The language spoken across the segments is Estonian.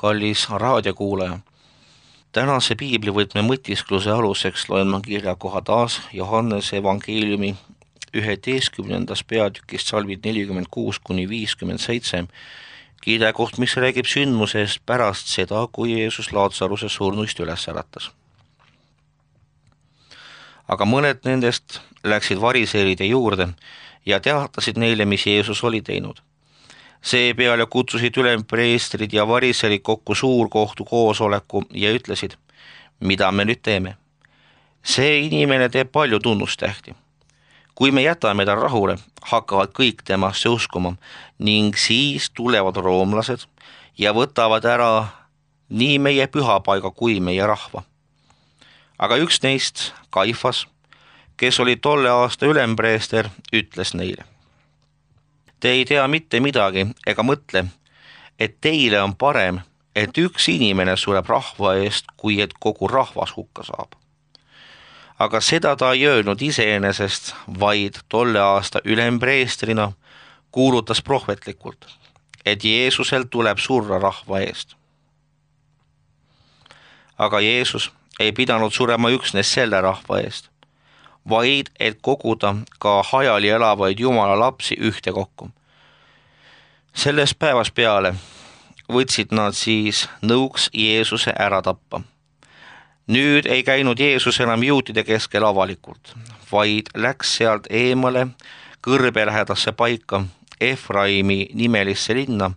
kallis raadiokuulaja. Tänase piiblivõtme mõtiskluse aluseks loen ma kirjakoha taas Johannese evangeeliumi 11. peatükist salvid 46-57, kirjakoht, mis räägib sündmusest pärast seda, kui Jeesus Laatsaruse surnuist üles äratas. Aga mõned nendest läksid variseeride juurde ja teatasid neile, mis Jeesus oli teinud. Seepeale kutsusid ülempreestrid ja variserid kokku suurkohtu koosoleku ja ütlesid, mida me nüüd teeme. See inimene teeb palju tunnustähti. Kui me jätame ta rahule, hakkavad kõik temasse uskuma ning siis tulevad roomlased ja võtavad ära nii meie pühapaiga kui meie rahva. Aga üks neist, Kaifas, kes oli tolle aasta ülempreester, ütles neile. Te ei tea mitte midagi ega mõtle, et teile on parem, et üks inimene sureb rahva eest, kui et kogu rahvas hukka saab. Aga seda ta ei öelnud iseenesest, vaid tolle aasta ülempreestrina kuulutas prohvetlikult, et Jeesusel tuleb surra rahva eest. Aga Jeesus ei pidanud surema üksnes selle rahva eest, vaid et koguda ka hajali elavaid Jumala lapsi ühte kokku. Sellest päevast peale võtsid nad siis nõuks Jeesuse ära tappa. Nüüd ei käinud Jeesus enam juutide keskel avalikult, vaid läks sealt eemale kõrbelähedasse paika Efraimi nimelisse linna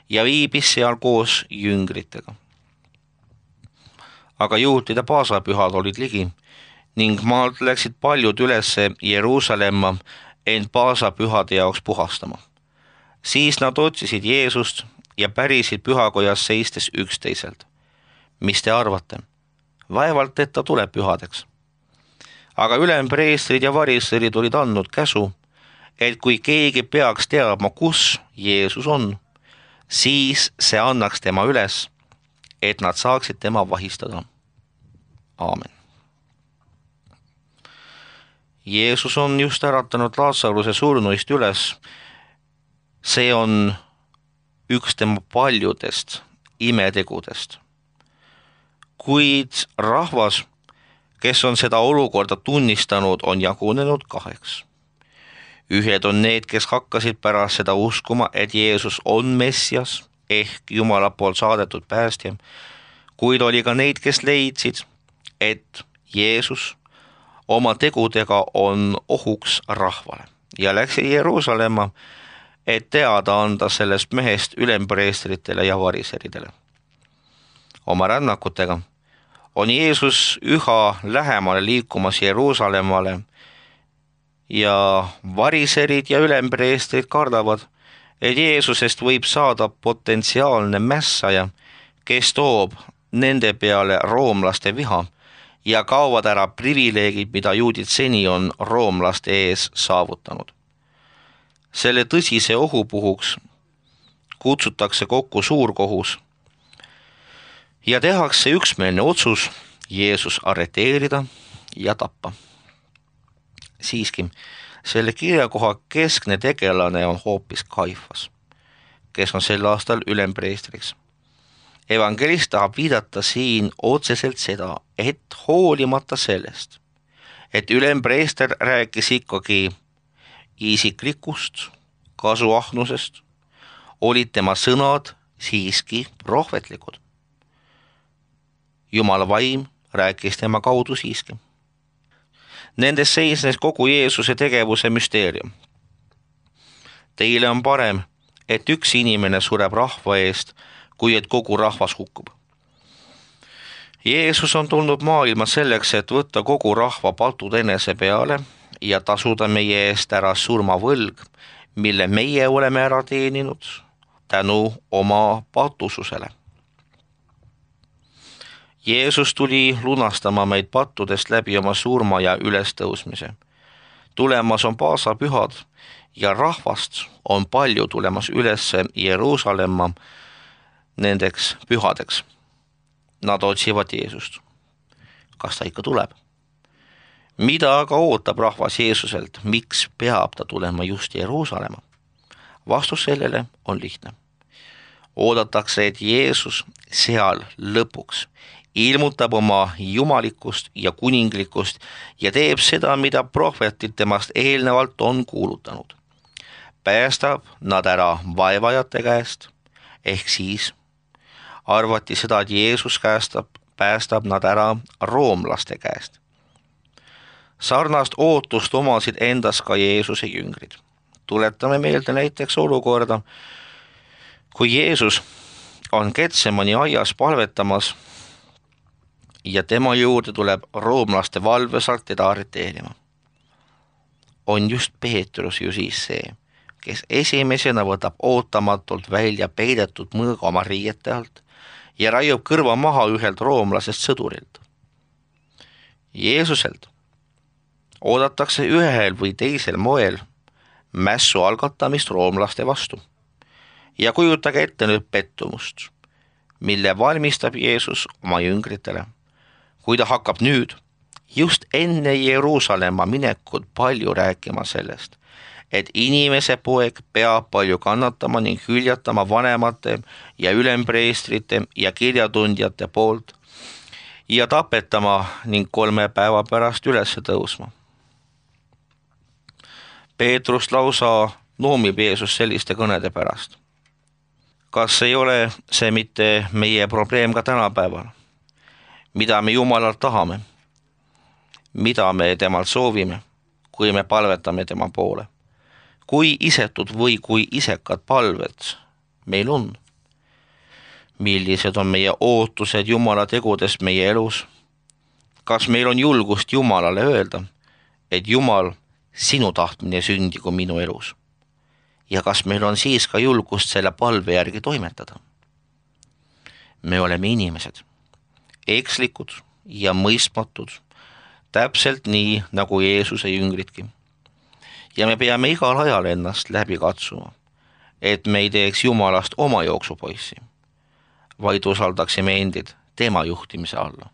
ja viibis seal koos jüngritega. Aga juutide paasapühad olid ligi ning maalt läksid paljud ülesse Jeruusalemma end paasapühade jaoks puhastama. Siis nad otsisid Jeesust ja pärisid pühakojas seistes üksteiselt. Mis te arvate? Vaevalt, et ta tuleb pühadeks. Aga ülempreestrid ja variserid olid andnud käsu, et kui keegi peaks teadma, kus Jeesus on, siis see annaks tema üles, et nad saaksid tema vahistada. Aamen. Jeesus on just äratanud Laatsaruse surnuist üles. See on üks tema paljudest imetegudest. Kuid rahvas, kes on seda olukorda tunnistanud, on jagunenud kaheks. Ühed on need, kes hakkasid pärast seda uskuma, et Jeesus on Messias ehk Jumala poolt saadetud päästja, kuid oli ka neid, kes leidsid, et Jeesus oma tegudega on ohuks rahvale ja läksid Jeruusalemma, et teada anda sellest mehest ülempreestritele ja variseridele. Oma rännakutega on Jeesus üha lähemale liikumas Jeruusalemmale ja variserid ja ülempreestrid kardavad, et Jeesusest võib saada potentsiaalne mässaja, kes toob nende peale roomlaste viha ja kaovad ära privileegid, mida juudid seni on roomlaste ees saavutanud. Selle tõsise ohu puhuks kutsutakse kokku suurkohus ja tehakse üksmeelne otsus Jeesus arreteerida ja tappa. Siiski, selle kirjakoha keskne tegelane on hoopis Kaifas, kes on sel aastal ülempreestriks. Evangelist tahab viidata siin otseselt seda, et hoolimata sellest, et ülempreester rääkis ikkagi isiklikust kasuahnusest, olid tema sõnad siiski prohvetlikud. Jumala vaim rääkis tema kaudu siiski. Nendes seisnes kogu Jeesuse tegevuse müsteerium. Teile on parem, et üks inimene sureb rahva eest, kui et kogu rahvas hukkub. Jeesus on tulnud maailma selleks, et võtta kogu rahva patud enese peale ja tasuda meie eest ära surmavõlg, mille meie oleme ära teeninud tänu oma patususele. Jeesus tuli lunastama meid pattudest läbi oma surma ja ülestõusmise. Tulemas on paasapühad ja rahvast on palju tulemas üles Jeruusalemma nendeks pühadeks. Nad otsivad Jeesust. Kas ta ikka tuleb? Mida aga ootab rahvas Jeesuselt? Miks peab ta tulema just Jeruusalemma? Vastus sellele on lihtne. oodatakse, et Jeesus seal lõpuks ilmutab oma jumalikkust ja kuninglikkust ja teeb seda, mida prohvetid temast eelnevalt on kuulutanud. Päästab nad ära vaevajate käest, ehk siis arvati seda, et Jeesus päästab nad ära roomlaste käest. Sarnast ootust omasid endas ka Jeesuse jüngrid. Tuletame meelde näiteks olukorda, kui Jeesus on Getsemani aias palvetamas ja tema juurde tuleb roomlaste valvesalt teda arreteerima. On just Peetrus ju siis see, kes esimesena võtab ootamatult välja peidetud mõõga oma riiete alt ja raiub kõrva maha ühelt roomlasest sõdurilt. Jeesuselt oodatakse ühel või teisel moel mässu algatamist roomlaste vastu. Ja kujutage ette nüüd pettumust, mille valmistab Jeesus oma jüngritele, kui ta hakkab nüüd just enne Jeruusalemma minekut palju rääkima sellest, et inimese poeg peab palju kannatama ning hüljatama vanemate ja ülempreestrite ja kirjatundjate poolt ja tapetama ning 3 päeva pärast üles tõusma. Peetrus lausa noomib Jeesus selliste kõnede pärast. Kas ei ole see mitte meie probleem ka tänapäeval? Mida me Jumalalt tahame? Mida me temalt soovime, kui me palvetame tema poole? Kui isetud või kui isekad palved meil on? Millised on meie ootused Jumala tegudest meie elus? Kas meil on julgust Jumalale öelda, et Jumal, sinu tahtmine sündigu minu elus? Ja kas meil on siis ka julgust selle palve järgi toimetada? Me oleme inimesed, ekslikud ja mõistmatud, täpselt nii nagu Jeesuse jüngridki. Ja me peame igal ajal ennast läbi katsuma, et me ei teeks Jumalast oma jooksupoissi, vaid usaldaksime endid tema juhtimise alla.